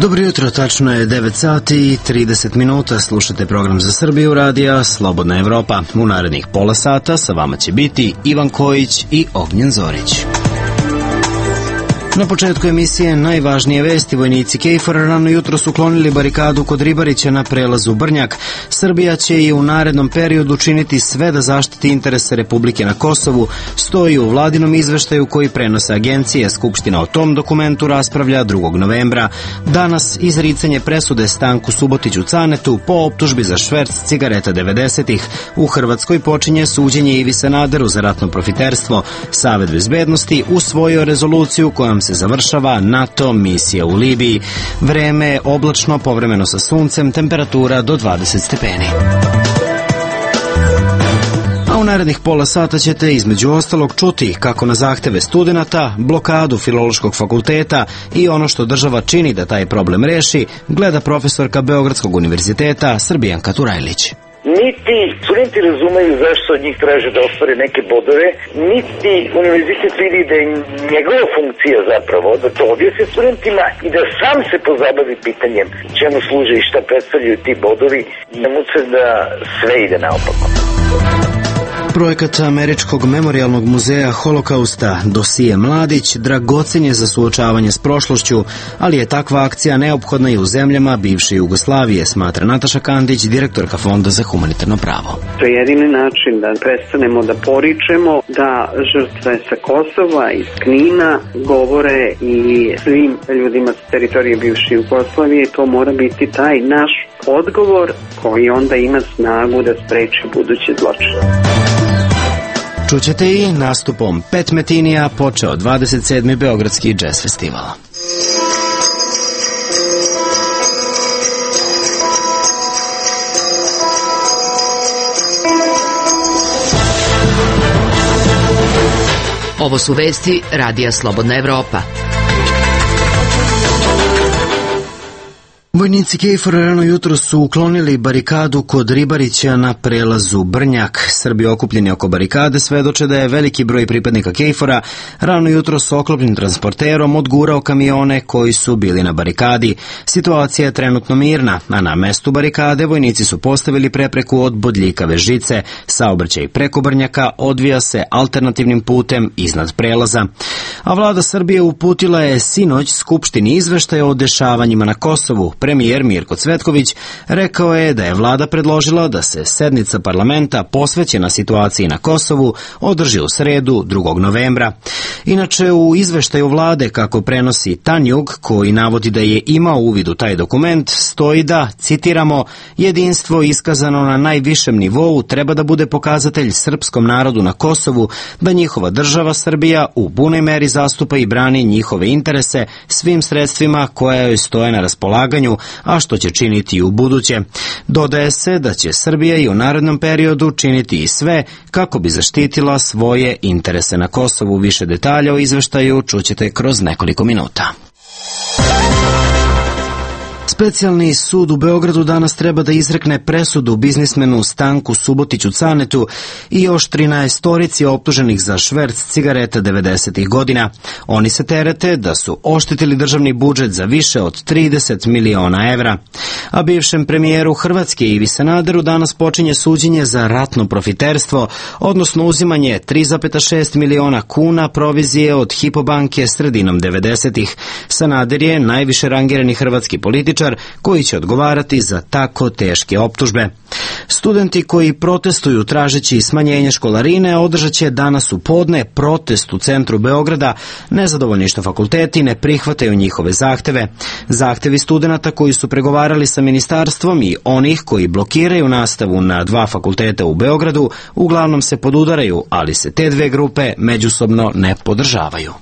Dobro jutro, tačno je 9 sati i 30 minuta, slušate program za Srbiju radija Slobodna Evropa. U narednih pola sata sa vama će biti Ivan Kojić i Ognjen Zorić. Na početku emisije najvažnije vesti. Vojnici KFOR-a rano jutro su uklonili barikadu kod Ribarića na prelazu Brnjak. Srbija će i u narednom periodu činiti sve da zaštiti interese Republike na Kosovu, stoji u vladinom izveštaju koji prenose agencije. Skupština o tom dokumentu raspravlja 2. novembra. Danas izricanje presude Stanku Subotiću Canetu po optužbi za šverc cigareta 90-ih. U Hrvatskoj počinje suđenje Ivi Sanaderu za ratno profiterstvo. Savet bezbednosti usvojio rezoluciju kojom se završava NATO misija u Libiji. Vreme je oblačno, povremeno sa suncem, temperatura do 20 stepeni. A u narednih pola sata ćete između ostalog čuti kako na zahteve studenata, blokadu Filološkog fakulteta i ono što država čini da taj problem reši, gleda profesorka Beogradskog univerziteta Srbijanka Turajlić. Niti studenti razumeju zašto od njih traže da ostvare neke bodove, niti univerzitet vidi da je njegova funkcija zapravo da to objasni studentima i da sam se pozabavi pitanjem čemu služe i šta predstavljaju ti bodovi, nemu se da sve ide naopako. Projekat Američkog memorijalnog muzeja Holokausta Dosije Mladić dragocen je za suočavanje s prošlošću, ali je takva akcija neophodna i u zemljama bivše Jugoslavije, smatra Nataša Kandić, direktorka Fonda za humanitarno pravo. To je jedini način da prestanemo da poričemo, da žrtve sa Kosova i Knina govore i svim ljudima sa teritorije bivše Jugoslavije. To mora biti taj naš odgovor koji onda ima snagu da spreči buduće zločine. Čućete i nastupom Pet Metinija počeo 27. Beogradski džez festival. Ovo su vesti Radija Slobodna Evropa. Vojnici KFOR-a rano jutro su uklonili barikadu kod Ribarića na prelazu Brnjak. Srbi okupljeni oko barikade svedoče da je veliki broj pripadnika KFOR-a rano jutro s oklopnim transporterom odgurao kamione koji su bili na barikadi. Situacija je trenutno mirna, a na mestu barikade vojnici su postavili prepreku od bodljikave žice. Saobraćaj preko Brnjaka odvija se alternativnim putem iznad prelaza. A vlada Srbije uputila je sinoć Skupštini izveštaj o dešavanjima na Kosovu. Premijer Mirko Cvetković rekao je da je vlada predložila da se sednica parlamenta posvećena situaciji na Kosovu održi u sredu 2. novembra. Inače, u izveštaju vlade, kako prenosi Tanjug, koji navodi da je imao uvid u taj dokument, stoji da, citiramo, jedinstvo iskazano na najvišem nivou treba da bude pokazatelj srpskom narodu na Kosovu, da njihova država Srbija u punoj meri zastupa i brani njihove interese svim sredstvima koja joj stoje na raspolaganju, a što će činiti i u buduće. Dodaje se da će Srbija i u narednom periodu činiti i sve kako bi zaštitila svoje interese na Kosovu. Više detalja o izveštaju čućete kroz nekoliko minuta. Specijalni sud u Beogradu danas treba da izrekne presudu biznismenu Stanku Subotiću Canetu i još 13 optuženih za šverc cigareta 90-ih godina. Oni se terete da su oštetili državni budžet za više od 30 miliona evra. A bivšem premijeru Hrvatske Ivi Sanaderu danas počinje suđenje za ratno profiterstvo, odnosno uzimanje 3,6 miliona kuna provizije od Hypo banke sredinom 90-ih. Sanader je najviše rangirani hrvatski političar koji će odgovarati za tako teške optužbe. Studenti koji protestuju tražeći smanjenje školarine održat će danas u podne protest u centru Beograda. Nezadovoljni što fakulteti ne prihvataju njihove zahteve. Zahtevi studenata koji su pregovarali sa ministarstvom i onih koji blokiraju nastavu na 2 fakulteta u Beogradu uglavnom se podudaraju, ali se te dve grupe međusobno ne podržavaju.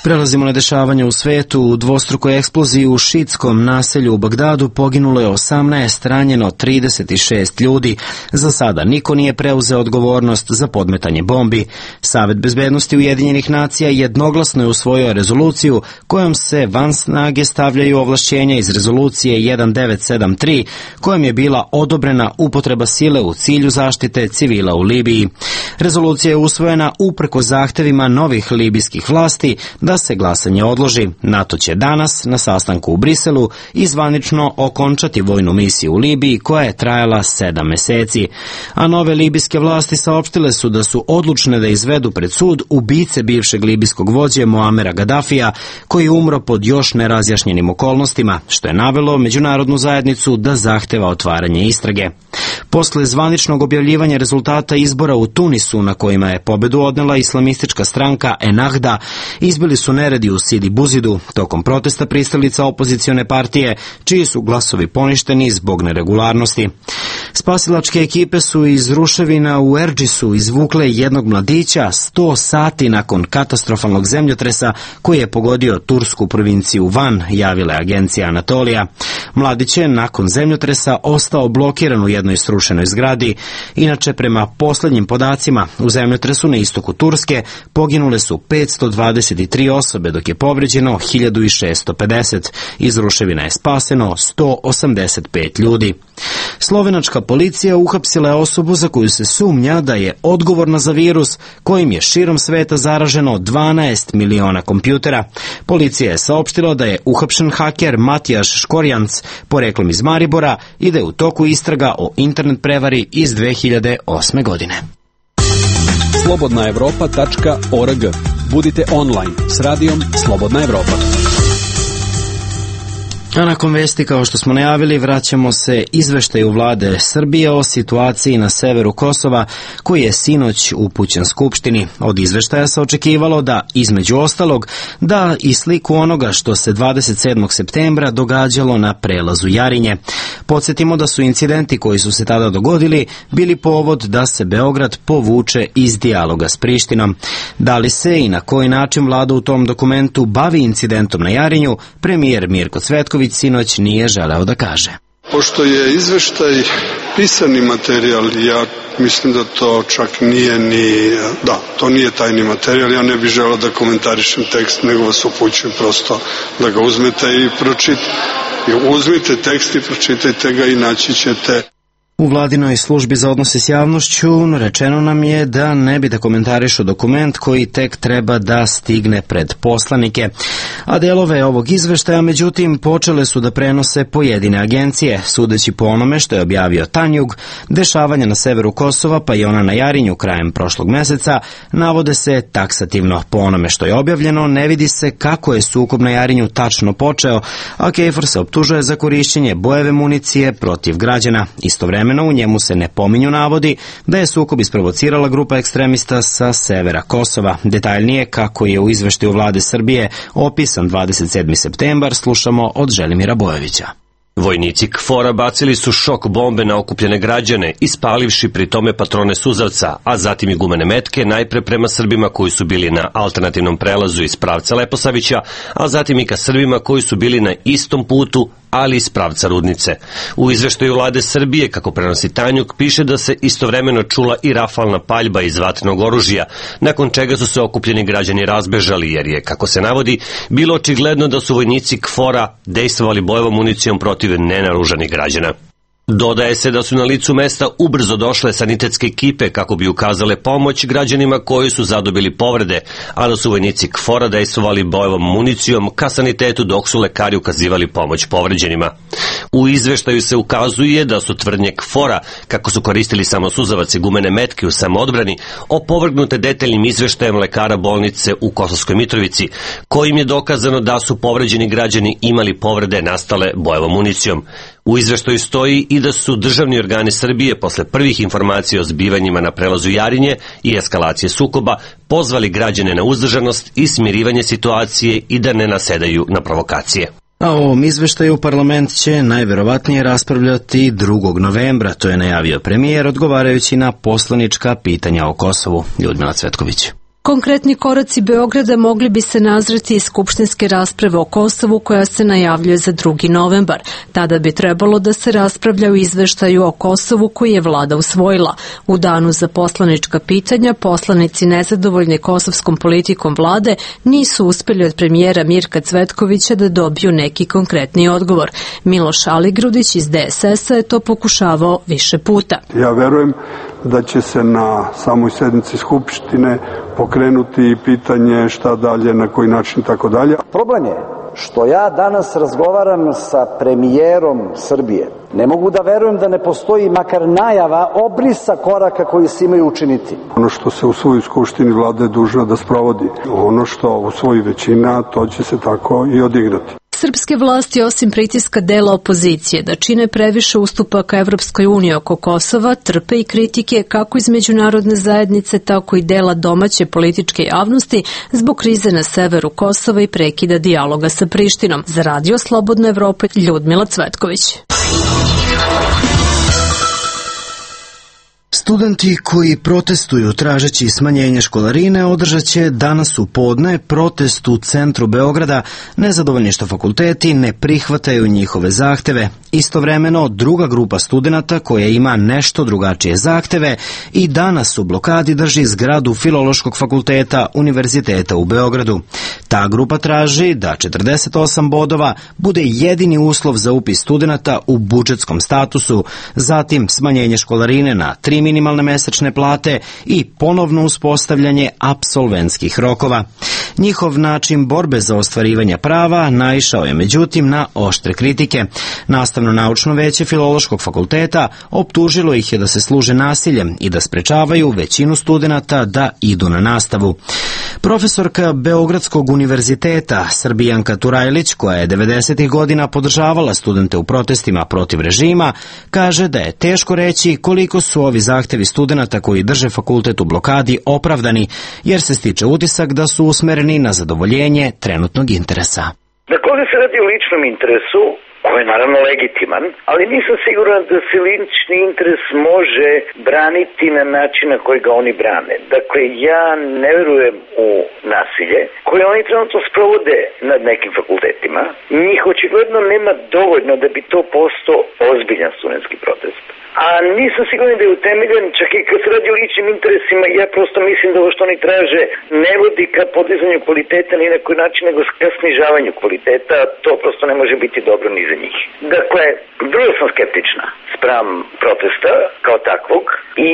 Prelazimo na dešavanje u svetu. U dvostrukoj eksploziji u šiitskom naselju u Bagdadu poginulo je 18, ranjeno 36 ljudi. Za sada niko nije preuzeo odgovornost za podmetanje bombi. Savet bezbednosti Ujedinjenih nacija jednoglasno je usvojio rezoluciju kojom se van snage stavljaju ovlašćenja iz rezolucije 1973, kojom je bila odobrena upotreba sile u cilju zaštite civila u Libiji. Rezolucija je usvojena uprkos zahtevima novih libijskih vlasti da se glasanje odloži. NATO će danas na sastanku u Briselu i zvanično okončati vojnu misiju u Libiji koja je trajala 7 meseci. A nove libijske vlasti saopštile su da su odlučne da izvedu pred sud ubice bivšeg libijskog vođe Muamera Gadafija, koji je umro pod još nerazjašnjenim okolnostima, što je navelo međunarodnu zajednicu da zahteva otvaranje istrage. Posle zvaničnog objavljivanja rezultata izbora u Tunisu, na kojima je pobedu odnela islamistička stranka Ennahda, izbili su neredi u Sidi Buzidu tokom protesta pristalica opozicione partije, čiji su glasovi poništeni zbog neregularnosti. Spasilačke ekipe su iz ruševina u Erdžisu izvukle jednog mladića 100 sati nakon katastrofalnog zemljotresa koji je pogodio tursku provinciju Van, javila je agencija Anatolija. Mladić je nakon zemljotresa ostao blokiran u jednoj srušenoj zgradi. Inače, prema poslednjim podacima, u zemljotresu na istoku Turske poginule su 523 osobe, dok je povređeno 1650. Iz ruševina je spaseno 185 ljudi. Slovenačka policija uhapsila je osobu za koju se sumnja da je odgovorna za virus kojim je širom sveta zaraženo 12 miliona kompjutera. Policija je saopštila da je uhapšen haker Matijaš Škorjanc, poreklom iz Maribora, i da je u toku istraga o internet prevari iz 2008. godine. slobodnaevropa.org. Budite online s radijom Slobodna Evropa. A nakon vesti, kao što smo najavili, vraćamo se izveštaju vlade Srbije o situaciji na severu Kosova, koji je sinoć upućen Skupštini. Od izveštaja se očekivalo da, između ostalog, da i sliku onoga što se 27. septembra događalo na prelazu Jarinje. Podsjetimo da su incidenti koji su se tada dogodili bili povod da se Beograd povuče iz dijaloga s Prištinom. Da li se i na koji način vlada u tom dokumentu bavi incidentom na Jarinju, premijer Mirko Cvetković sinoć nije želeo da kaže. Pošto je izveštaj pisani materijal, ja mislim da to čak nije to nije tajni materijal, ja ne bih želeo da komentarišem tekst, nego vas upućujem prosto da ga uzmete i pročitajte. Uzmite tekst i pročitajte ga i naći ćete. U vladinoj službi za odnose s javnošću rečeno nam je da ne bi da komentarišu dokument koji tek treba da stigne pred poslanike. A delove ovog izveštaja, međutim, počele su da prenose pojedine agencije. Sudeći po onome što je objavio Tanjug, dešavanja na severu Kosova, pa i ona na Jarinju krajem prošlog meseca, navode se taksativno. Po onome što je objavljeno, ne vidi se kako je sukob na Jarinju tačno počeo, a KFOR se optužuje za korišćenje bojeve municije protiv građana. Istovremeno, u njemu se ne pominju navodi da je sukob isprovocirala grupa ekstremista sa severa Kosova. Detaljnije kako je u izveštaju vlade Srbije opisan 27. septembar slušamo od Želimira Bojovića. Vojnici KFOR-a bacili su šok bombe na okupljene građane, ispalivši pri tome patrone suzavca, a zatim i gumene metke, najpre prema Srbima koji su bili na alternativnom prelazu iz pravca Leposavića, a zatim i ka Srbima koji su bili na istom putu, ali iz pravca Rudnice. U izveštaju vlade Srbije, kako prenosi Tanjuk, piše da se istovremeno čula i rafalna paljba iz vatrenog oružja, nakon čega su se okupljeni građani razbežali, jer je, kako se navodi, bilo očigledno da su vojnici KFOR-a dejstvovali bojevom municijom protiv nenaružanih građana. Dodaje se da su na licu mesta ubrzo došle sanitetske ekipe kako bi ukazale pomoć građanima koji su zadobili povrede, a da su vojnici KFOR-a dejstvovali bojevom municijom ka sanitetu dok su lekari ukazivali pomoć povređenima. U izveštaju se ukazuje da su tvrdnje KFOR-a, kako su koristili samo suzavac i gumene metke u samoodbrani, opovrgnute detaljnim izveštajem lekara bolnice u Kosovskoj Mitrovici, kojim je dokazano da su povređeni građani imali povrede nastale bojevom municijom. U izveštaju stoji i da su državni organi Srbije posle prvih informacija o zbivanjima na prelazu Jarinje i eskalacije sukoba pozvali građane na uzdržanost i smirivanje situacije i da ne nasedaju na provokacije. A o ovom izveštaju parlament će najverovatnije raspravljati 2. novembra, to je najavio premijer odgovarajući na poslanička pitanja o Kosovu. Ljudmila Cvetković. Konkretni koraci Beograda mogli bi se nazreti iz skupštinske rasprave o Kosovu koja se najavljuje za 2. novembar. Tada bi trebalo da se raspravlja o izveštaju o Kosovu koji je vlada usvojila. U danu za poslanička pitanja poslanici nezadovoljni kosovskom politikom vlade nisu uspeli od premijera Mirka Cvetkovića da dobiju neki konkretni odgovor. Miloš Aligrudić iz DSS-a je to pokušavao više puta. Ja verujem da će se na samoj sednici Skupštine pokrenuti pitanje šta dalje, na koji način i tako dalje. Problem je što ja danas razgovaram sa premijerom Srbije. Ne mogu da verujem da ne postoji makar najava obrisa koraka koji se imaju učiniti. Ono što se usvoji u Skupštini, vlada je dužna da sprovodi. Ono što usvoji većina, to će se tako i odigrati. Srpske vlasti, osim pritiska dela opozicije da čine previše ustupaka Evropskoj uniji oko Kosova, trpe i kritike kako iz međunarodne zajednice, tako i dela domaće političke javnosti zbog krize na severu Kosova i prekida dijaloga sa Prištinom. Za Radio Slobodna Evropa, Ljudmila Cvetković. Studenti koji protestuju tražeći smanjenje školarine održat će danas u podne protest u centru Beograda, nezadovoljni što fakulteti ne prihvataju njihove zahteve. Istovremeno, druga grupa studenata koja ima nešto drugačije zahteve i danas u blokadi drži zgradu Filološkog fakulteta Univerziteta u Beogradu. Ta grupa traži da 48 bodova bude jedini uslov za upis studenata u budžetskom statusu, zatim smanjenje školarine na 3 minimalne mesečne plate i ponovno uspostavljanje apsolventskih rokova. Njihov način borbe za ostvarivanje prava naišao je međutim na oštre kritike. Nastavno-naučno veće Filološkog fakulteta optužilo ih je da se služe nasiljem i da sprečavaju većinu studenata da idu na nastavu. Profesorka Beogradskog univerziteta Srbijanka Turajlić, koja je 90. godina podržavala studente u protestima protiv režima, kaže da je teško reći koliko su ovi zahtevi studenata koji drže fakultet u blokadi opravdani, jer se stiče utisak da su usmereni na zadovoljenje trenutnog interesa. Dakle, ovdje se radi o ličnom interesu, koji je naravno legitiman, ali nisam siguran da se lični interes može braniti na način na koji ga oni brane. Dakle, ja ne verujem u nasilje koje oni trenutno sprovode nad nekim fakultetima. Njih očigledno nema dovoljno da bi to postao ozbiljan studentski protest. A nisam siguran da je utemeljen, čak i kad se radi o ličnim interesima, ja prosto mislim da ovo što oni traže ne vodi ka podizanju kvaliteta ni na koji način, nego ka snižavanju kvaliteta, to prosto ne može biti dobro ni za njih. Dakle, vrlo sam skeptična spram protesta kao takvog i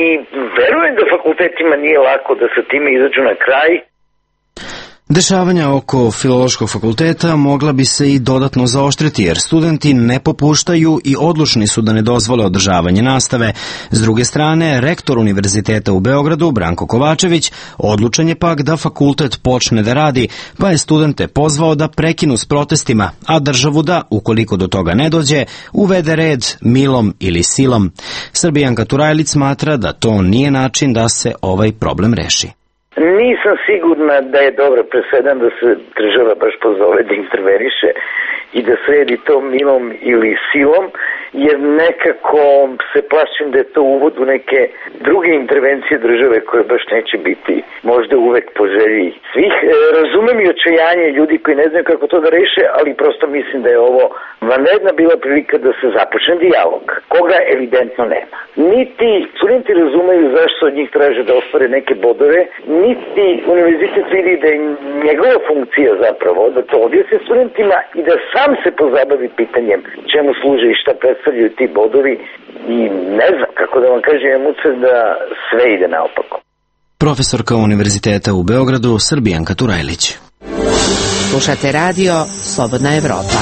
verujem da fakultetima nije lako da sa time izađu na kraj. Dešavanja oko Filološkog fakulteta mogla bi se i dodatno zaoštriti, jer studenti ne popuštaju i odlučni su da ne dozvole održavanje nastave. S druge strane, rektor Univerziteta u Beogradu, Branko Kovačević, odlučan je pak da fakultet počne da radi, pa je studente pozvao da prekinu s protestima, a državu da, ukoliko do toga ne dođe, uvede red milom ili silom. Srbijanka Turajlić smatra da to nije način da se ovaj problem reši. Nisam sigurna da je dobro presedan da se država baš pozove da interveniše i da sredi to milom ili silom, jer nekako se plašim da je to uvod u neke druge intervencije države koje baš neće biti možda uvek po želji svih. Razumem i očajanje ljudi koji ne znaju kako to da reše, ali prosto mislim da je ovo vanredna bila prilika da se započne dijalog, koga evidentno nema. Niti studenti razumeju zašto od njih traže da ostvare neke bodove, niti univerzitet vidi da je njegova funkcija zapravo da to objasni studentima i da sam se pozabavi pitanjem čemu služe i šta predstavljaju ti bodovi i ne znam kako da vam kažem, imam utisak da sve ide naopako. Profesorka Univerziteta u Beogradu Srbijanka Turajlić. Slušate radio Slobodna Evropa.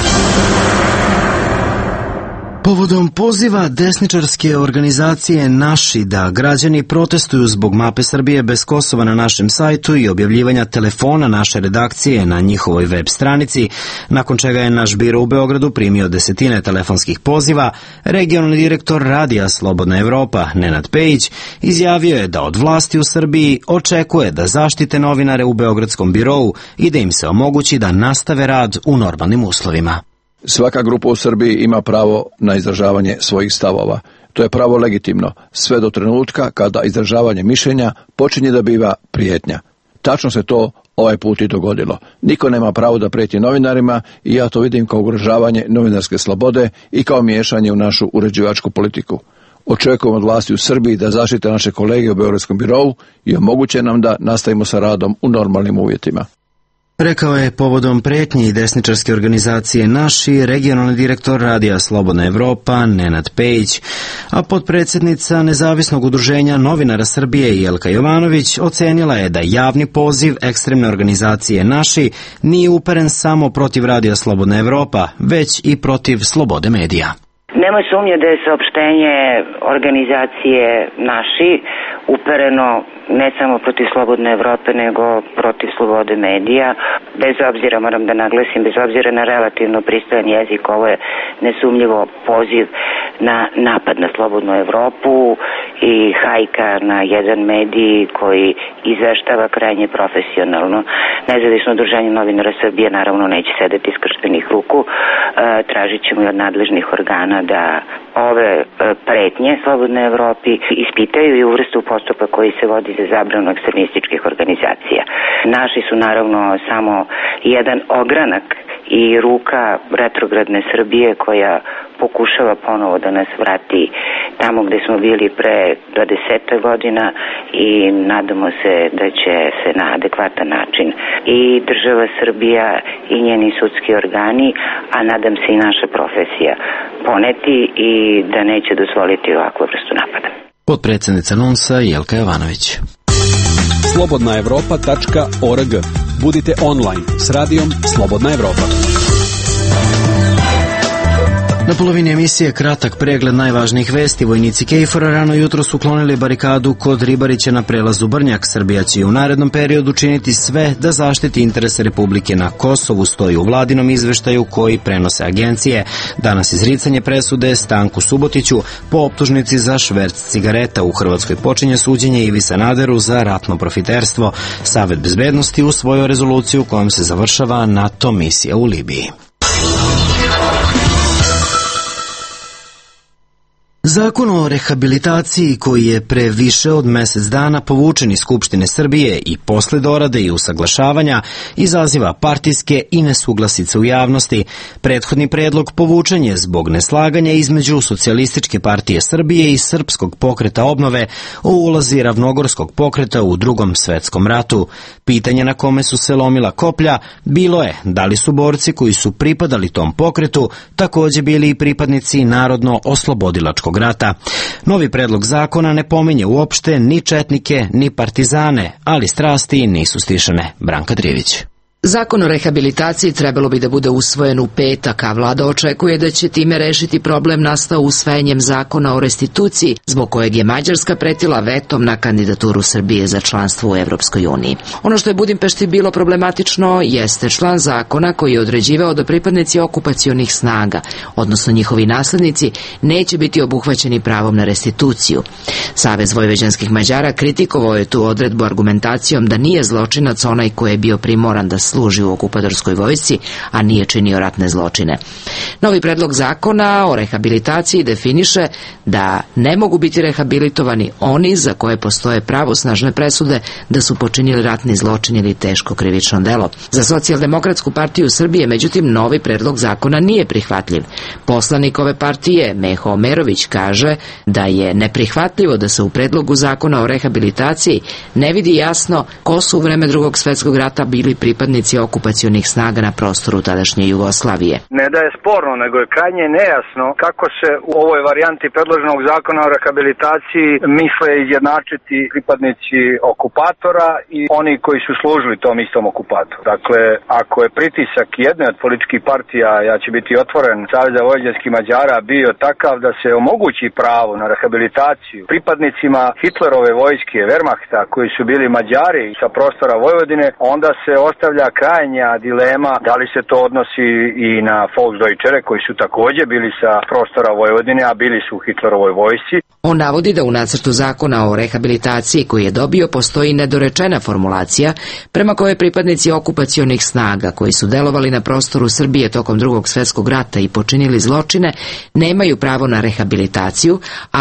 Povodom poziva desničarske organizacije Naši da građani protestuju zbog mape Srbije bez Kosova na našem sajtu i objavljivanja telefona naše redakcije na njihovoj web stranici, nakon čega je naš biro u Beogradu primio desetine telefonskih poziva, regionalni direktor radija Slobodna Evropa Nenad Pejić izjavio je da od vlasti u Srbiji očekuje da zaštite novinare u beogradskom birou i da im se omogući da nastave rad u normalnim uslovima. Svaka grupa u Srbiji ima pravo na izražavanje svojih stavova. To je pravo legitimno, sve do trenutka kada izražavanje mišljenja počinje da biva prijetnja. Tačno se to ovaj put i dogodilo. Niko nema pravo da preti novinarima i ja to vidim kao ugrožavanje novinarske slobode i kao miješanje u našu uređivačku politiku. Očekujem od vlasti u Srbiji da zaštite naše kolege u Beogradskom birovu i omoguće nam da nastavimo sa radom u normalnim uvjetima. Rekao je povodom pretnji desničarske organizacije Naši regionalni direktor Radija Slobodna Evropa Nenad Pejić, a potpredsjednica Nezavisnog udruženja novinara Srbije Jelka Jovanović ocenila je da javni poziv ekstremne organizacije Naši nije uperen samo protiv Radija Slobodna Evropa, već i protiv slobode medija. Nema sumnje da je saopštenje organizacije Naši upereno ne samo protiv Slobodne Evrope, nego protiv slobode medija. Bez obzira, moram da naglasim, bez obzira na relativno pristojan jezik, ovo je nesumnjivo poziv na napad na Slobodnu Evropu i hajka na jedan medij koji izveštava krajnje profesionalno. Nezavisno udruženje novinara Srbije naravno neće sedeti skrštenih ruku. Tražit ćemo i od nadležnih organa da ove pretnje Slobodnoj Evropi ispitaju i uvrste u postupak koji se vodi za zabranu ekstremističkih organizacija. Naši su naravno samo jedan ogranak i ruka retrogradne Srbije koja pokušava ponovo da nas vrati tamo gde smo bili pre 20 godina i nadamo se da će se na adekvatan način i država Srbija i njeni sudski organi, a nadam se i naša profesija poneti i da neće dozvoliti ovakvu vrstu napada. Potpredsjednica NUNS-a Jelka Jovanović. slobodnaevropa.org. Budite online s radijom Slobodna Evropa. Na polovini emisije kratak pregled najvažnijih vesti. Vojnici KFOR-a rano jutro su uklonili barikadu kod Ribarića na prelazu Brnjak. Srbija će u narednom periodu činiti sve da zaštiti interese Republike na Kosovu, stoji u vladinom izveštaju koji prenose agencije. Danas izricanje presude Stanku Subotiću po optužnici za šverc cigareta. U Hrvatskoj počinje suđenje Ivi Sanaderu za ratno profiterstvo. Savet bezbednosti usvojio rezoluciju kojom se završava NATO misija u Libiji. Zakon o rehabilitaciji koji je pre više od mesec dana povučen iz Skupštine Srbije i posle dorade i usaglašavanja izaziva partijske i nesuglasice u javnosti. Prethodni predlog povučen je zbog neslaganja između Socijalističke partije Srbije i Srpskog pokreta obnove o ulozi Ravnogorskog pokreta u Drugom svetskom ratu. Pitanje na kome su se lomila koplja bilo je da li su borci koji su pripadali tom pokretu takođe bili i pripadnici Narodno-oslobodilačkog rata. Novi predlog zakona ne pominje uopšte ni četnike, ni partizane, ali strasti nisu stišene. Branka Drivić. Zakon o rehabilitaciji trebalo bi da bude usvojen u petak, a vlada očekuje da će time rešiti problem nastao usvajanjem zakona o restituciji, zbog kojeg je Mađarska pretila vetom na kandidaturu Srbije za članstvo u Evropskoj uniji. Ono što je Budimpešti bilo problematično jeste član zakona koji je određivao da pripadnici okupacionih snaga, odnosno njihovi naslednici, neće biti obuhvaćeni pravom na restituciju. Savez vojvođanskih Mađara kritikovao je tu odredbu argumentacijom da nije zločinac onaj koji je bio primoran da služi u okupatorskoj vojsci, a nije činio ratne zločine. Novi predlog zakona o rehabilitaciji definiše da ne mogu biti rehabilitovani oni za koje postoje pravosnažne presude da su počinili ratni zločin ili teško krivično delo. Za Socijaldemokratsku partiju Srbije, međutim, novi predlog zakona nije prihvatljiv. Poslanik ove partije, Meho Omerović, kaže da je neprihvatljivo da se u predlogu zakona o rehabilitaciji ne vidi jasno ko su u vreme Drugog svetskog rata bili pripadnici okupacionih snaga na prostoru tadašnje Jugoslavije. Ne da je sporno, nego je krajnje nejasno kako se u ovoj varijanti predloženog zakona o rehabilitaciji misle izjednačiti pripadnici okupatora i oni koji su služili tom istom okupatoru. Dakle, ako je pritisak jedne od političkih partija, ja ću biti otvoren, Saveza vojvođanskih Mađara bio takav da se omogući pravo na rehabilitaciju pripadnicima Hitlerove vojske, Wehrmachta, koji su bili Mađari sa prostora Vojvodine, onda se ostavlja krajnja dilema da li se to odnosi i na Volksdeutschere koji su takođe bili sa prostora Vojvodine, a bili su u Hitlerovoj vojsci. On navodi da u nacrtu zakona o rehabilitaciji koji je dobio postoji nedorečena formulacija prema kojoj pripadnici okupacionih snaga koji su delovali na prostoru Srbije tokom Drugog svjetskog rata i počinili zločine nemaju pravo na rehabilitaciju,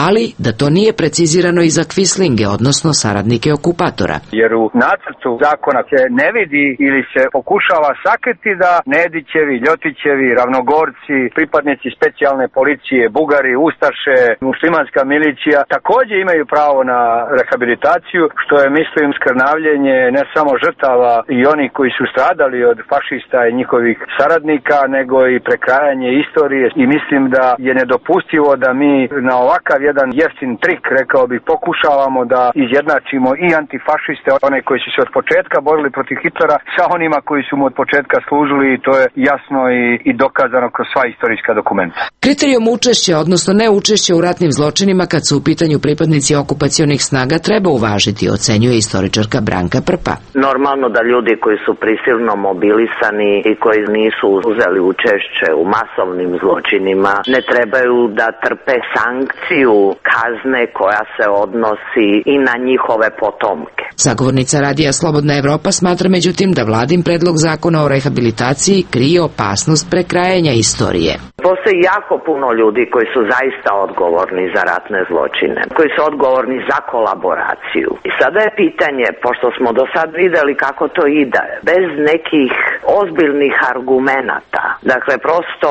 ali da to nije precizirano i za kvislinge, odnosno saradnike okupatora. Jer u nacrtu zakona se ne vidi ili se pokušava sakriti da Nedićevi, Ljotićevi, Ravnogorci, pripadnici specijalne policije, Bugari, Ustaše, muslimanska milicija takođe imaju pravo na rehabilitaciju, što je, mislim, skrnavljenje ne samo žrtava i oni koji su stradali od fašista i njihovih saradnika, nego i prekrajanje istorije. I mislim da je nedopustivo da mi na ovakav jedan jeftin trik, rekao bih, pokušavamo da izjednačimo i antifašiste, one koji su se od početka borili protiv Hitlera, sa onima koji su mu od početka služili, i to je jasno i dokazano kroz sva istorijska dokumenta. Kriterijum učešća, odnosno neučešća u ratnim zločinima kad su u pitanju pripadnici okupacionih snaga treba uvažiti, ocenjuje istoričarka Branka Prpa. Normalno da ljudi koji su prisilno mobilisani i koji nisu uzeli učešće u masovnim zločinima ne trebaju da trpe sankciju kazne koja se odnosi i na njihove potomke. Sagovornica Radija Slobodna Evropa smatra međutim da vladin predlog zakona o rehabilitaciji krije opasnost prekrajanja istorije. Postoji jako puno ljudi koji su zaista odgovorni za ratne zločine, koji su odgovorni za kolaboraciju. I sada je pitanje, pošto smo do sad videli kako to ide, bez nekih ozbiljnih argumenata, dakle prosto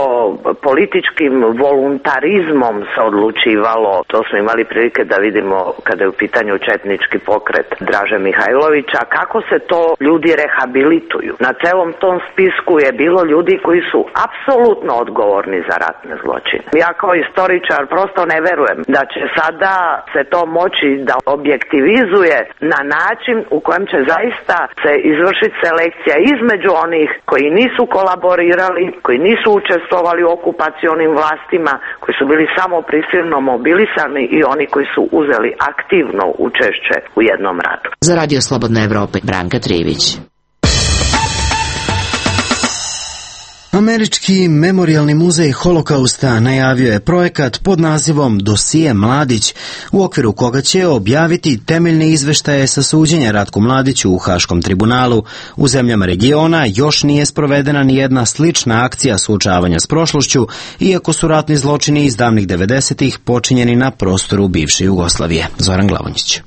političkim voluntarizmom se odlučivalo, to smo imali prilike da vidimo kada je u pitanju četnički pokret Draže Mihajlovića, kako se to ljudi rehabilituju. Na celom tom spisku je bilo ljudi koji su apsolutno odgovorni za ratne zločine. Ja kao istoričar prosto ne verujem da će sada se to moći da objektivizuje na način u kojem će zaista se izvršiti selekcija između onih koji nisu kolaborirali, koji nisu učestvovali u okupacionim vlastima, koji su bili samo prisilno mobilisani i oni koji su uzeli aktivno učešće u jednom ratu. Za Radio Slobodna Evropa, Branka Trivić. Američki memorijalni muzej Holokausta najavio je projekat pod nazivom Dosije Mladić, u okviru koga će objaviti temeljne izveštaje sa suđenja Ratku Mladiću u Haškom tribunalu. U zemljama regiona još nije sprovedena ni jedna slična akcija suočavanja s prošlošću, iako su ratni zločini iz davnih 90-ih počinjeni na prostoru bivše Jugoslavije. Zoran Glavonjić.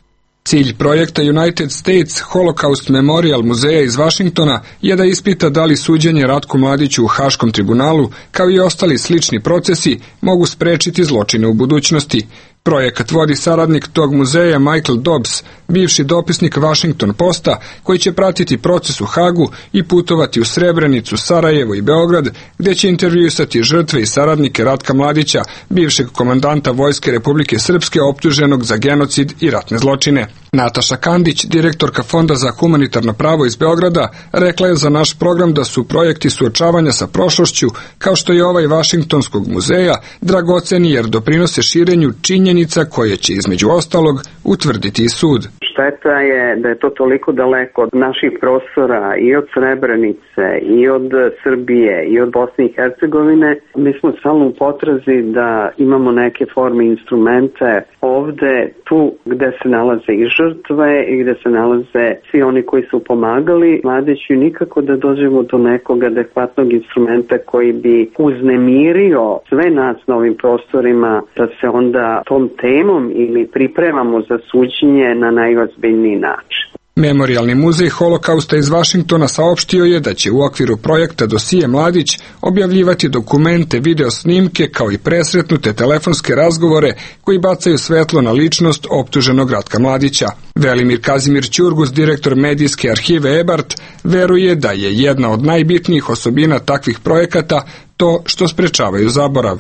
Cilj projekta United States Holocaust Memorial muzeja iz Vašingtona je da ispita da li suđenje Ratku Mladiću u Haškom tribunalu, kao i ostali slični procesi, mogu sprečiti zločine u budućnosti. Projekat vodi saradnik tog muzeja Michael Dobbs, bivši dopisnik Washington Posta, koji će pratiti proces u Hagu i putovati u Srebrenicu, Sarajevo i Beograd, gdje će intervjuisati žrtve i saradnike Ratka Mladića, bivšeg komandanta Vojske Republike Srpske optuženog za genocid i ratne zločine. Nataša Kandić, direktorka Fonda za humanitarno pravo iz Beograda, rekla je za naš program da su projekti suočavanja sa prošlošću, kao što je ovaj Vašingtonskog muzeja, dragoceni jer doprinose širenju činjenica koje će između ostalog utvrditi i sud. Šteta je da je to toliko daleko od naših prostora i od Srebrenice i od Srbije i od Bosne i Hercegovine. Mi smo stalno u potrazi da imamo neke forme instrumente ovde, tu gde se nalaze i žrtve i gde se nalaze svi oni koji su pomagali Mladiću, nikako da dođemo do nekog adekvatnog instrumenta koji bi uznemirio sve nas na ovim prostorima, da se onda tom temom ili pripremamo za suđenje na najozbiljniji način. Memorijalni muzej Holokausta iz Vašingtona saopštio je da će u okviru projekta Dosije Mladić objavljivati dokumente, video snimke kao i presretnute telefonske razgovore koji bacaju svetlo na ličnost optuženog Ratka Mladića. Velimir Kazimir Ćurgus, direktor medijske arhive Ebart, veruje da je jedna od najbitnijih osobina takvih projekata to što sprečavaju zaborav.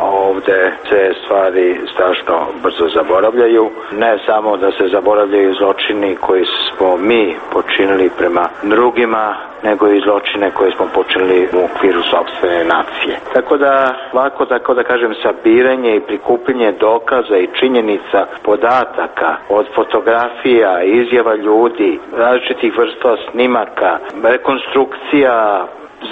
Ovde gde se stvari strašno brzo zaboravljaju. Ne samo da se zaboravljaju zločini koji smo mi počinili prema drugima, nego i zločine koje smo počinili u okviru sopstvene nacije. Tako da, lako tako da kažem, sabiranje i prikupljanje dokaza i činjenica, podataka, od fotografija, izjava ljudi, različitih vrsta snimaka, rekonstrukcija,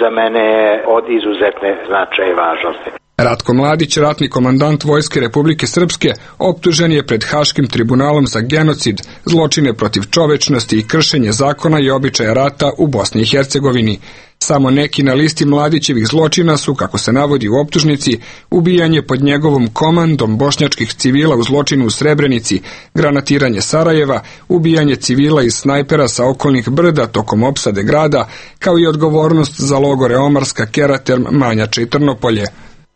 za mene je od izuzetne značaja i važnosti. Ratko Mladić, ratni komandant Vojske Republike Srpske, optužen je pred Haškim tribunalom za genocid, zločine protiv čovečnosti i kršenje zakona i običaja rata u Bosni i Hercegovini. Samo neki na listi Mladićevih zločina su, kako se navodi u optužnici, ubijanje pod njegovom komandom bošnjačkih civila u zločinu u Srebrenici, granatiranje Sarajeva, ubijanje civila iz snajpera sa okolnih brda tokom opsade grada, kao i odgovornost za logore Omarska, Keraterm, Manjača i Trnopolje.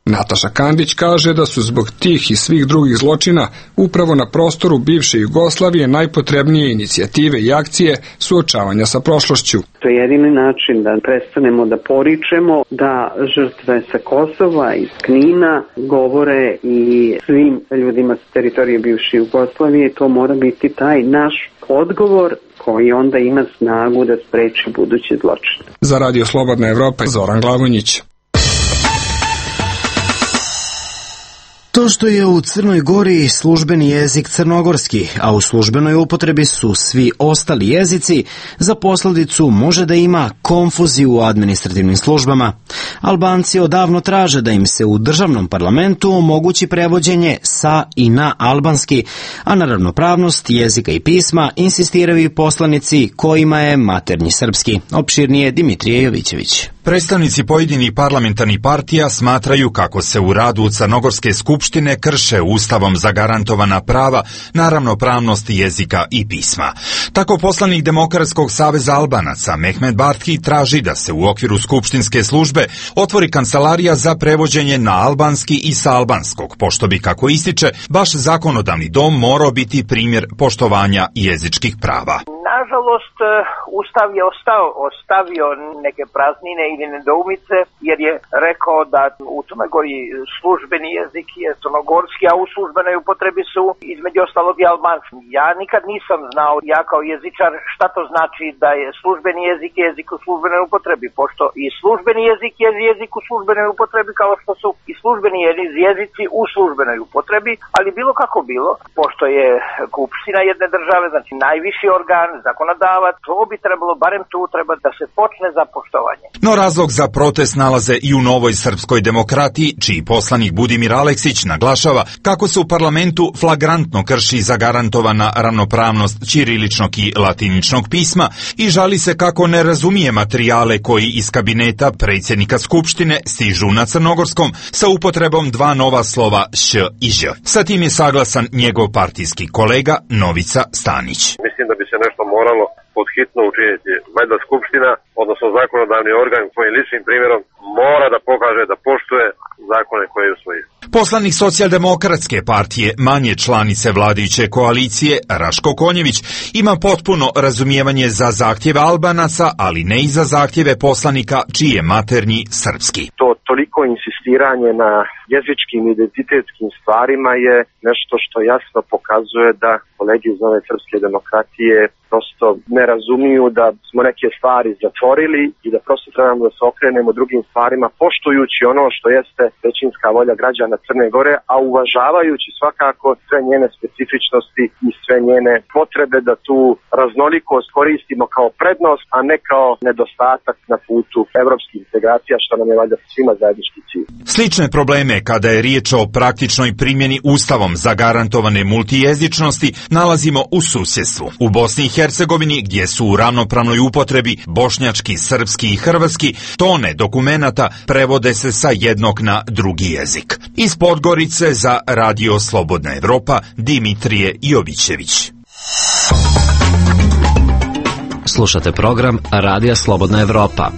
Nataša Kandić kaže da su zbog tih i svih drugih zločina upravo na prostoru bivše Jugoslavije najpotrebnije inicijative i akcije suočavanja sa prošlošću. To je jedini način da prestanemo da poričemo, da žrtve sa Kosova i Knina govore i svim ljudima sa teritorije bivše Jugoslavije. To mora biti taj naš odgovor koji onda ima snagu da spreči buduće zločine. Za Radio Slobodna Evropa, Zoran Glavonjić. To što je u Crnoj Gori službeni jezik crnogorski, a u službenoj upotrebi su svi ostali jezici, za posledicu može da ima konfuziju u administrativnim službama. Albanci odavno traže da im se u državnom parlamentu omogući prevođenje sa i na albanski, a na ravnopravnost jezika i pisma insistiraju i poslanici kojima je maternji srpski. Opširnije Dimitrije Jovićević. Predstavnici pojedinih parlamentarnih partija smatraju kako se u radu Crnogorske skupštine krše Ustavom zagarantovana prava na ravnopravnost jezika i pisma. Tako poslanik Demokratskog saveza Albanaca Mehmet Bartki traži da se u okviru skupštinske službe otvori kancelarija za prevođenje na albanski i sa albanskog, pošto bi, kako ističe, baš zakonodavni dom morao biti primjer poštovanja jezičkih prava. Nažalost, Ustav je ostavio neke praznine ili nedoumice, jer je rekao da u Crnoj Gori službeni jezik je crnogorski, a u službenoj upotrebi su između ostalog i albanski. Ja nikad nisam znao, ja kao jezičar, šta to znači da je službeni jezik jezik u službenoj upotrebi, pošto i službeni jezik je jezik u službenoj upotrebi, kao što su i službeni jezici u službenoj upotrebi, ali bilo kako bilo, pošto je Skupština jedne države, znači najviši organ, zakonodavac, to bi trebalo, barem tu treba da se počne za poštovanje. No razlog za protest nalaze i u Novoj srpskoj demokratiji, čiji poslanik Budimir Aleksić naglašava kako se u parlamentu flagrantno krši zagarantovana ravnopravnost ćiriličnog i latiničnog pisma i žali se kako ne razumije materijale koji iz kabineta predsjednika Skupštine stižu na crnogorskom sa upotrebom dva nova slova š i ž. Sa tim je saglasan njegov partijski kolega Novica Stanić. Mislim da bi se nešto moralo podhitno učiniti. Valjda Skupština, odnosno zakonodavni organ svojim ličnim primjerom mora da pokaže da poštuje zakone koje je usvojio. Poslanik Socijaldemokratske partije, manje članice vladajuće koalicije, Raško Konjević, ima potpuno razumijevanje za zahtjeve Albanaca, ali ne i za zahtjeve poslanika čiji je maternji srpski. To toliko insistiranje na jezičkim identitetskim stvarima je nešto što jasno pokazuje da kolegi iz Nove srpske demokratije prosto ne razumiju da smo neke stvari zatvorili i da prosto trebamo da se okrenemo drugim stvarima, poštujući ono što jeste većinska volja građana Crne Gore, a uvažavajući svakako sve njene specifičnosti i sve njene potrebe da tu raznolikost koristimo kao prednost, a ne kao nedostatak na putu evropskih integracija, što nam je valjda svima zajednički cilj. Slične probleme kada je riječ o praktičnoj primjeni Ustavom zagarantovane multijezičnosti nalazimo u susjedstvu. U Bosni i Hercegovini, gdje su u ravnopravnoj upotrebi bošnjački, srpski i hrvatski, tone dokumenata prevode se sa jednog na drugi jezik. Iz Podgorice za Radio Slobodna Evropa, Dimitrije Jovićević. Slušate program Radija Slobodna Evropa.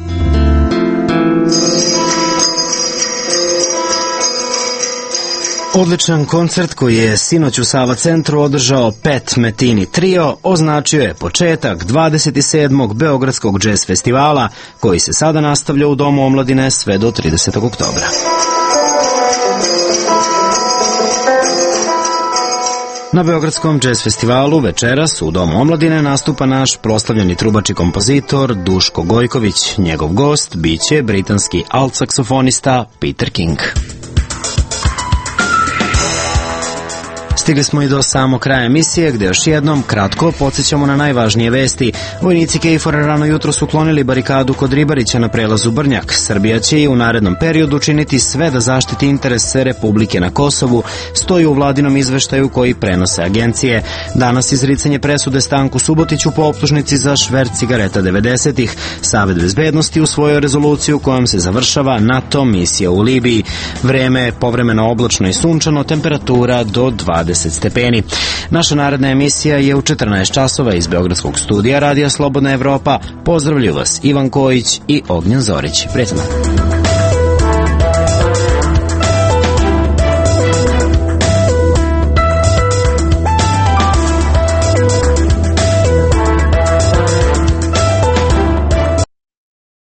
Odličan koncert koji je sinoć u Sava centru održao Pet Metini Trio označio je početak 27. Beogradskog džez festivala koji se sada nastavlja u Domu omladine sve do 30. oktobra. Na Beogradskom jazz festivalu večeras u Domu omladine nastupa naš proslavljeni trubač i kompozitor Duško Gojković. Njegov gost biće britanski alt-saksofonista Peter King. Stigli smo i do samog kraja emisije, gde još jednom kratko podsjećamo na najvažnije vesti. Vojnici KFOR-a rano jutro su uklonili barikadu kod Ribarića na prelazu Brnjak. Srbija će i u narednom periodu učiniti sve da zaštiti interese Republike na Kosovu, stoji u vladinom izveštaju koji prenose agencije. Danas izricanje presude Stanku Subotiću po optužnici za šverc cigareta 90-ih. Savet bezbednosti usvojio rezoluciju kojom se završava NATO misija u Libiji. Vreme je povremeno oblačno i sunčano, temperatura do 20 stepeni. Naša naredna emisija je u 14 časova iz Beogradskog studija Radija Slobodna Evropa. Pozdravljaju vas Ivan Kojić i Ognjen Zorić. Prijatno.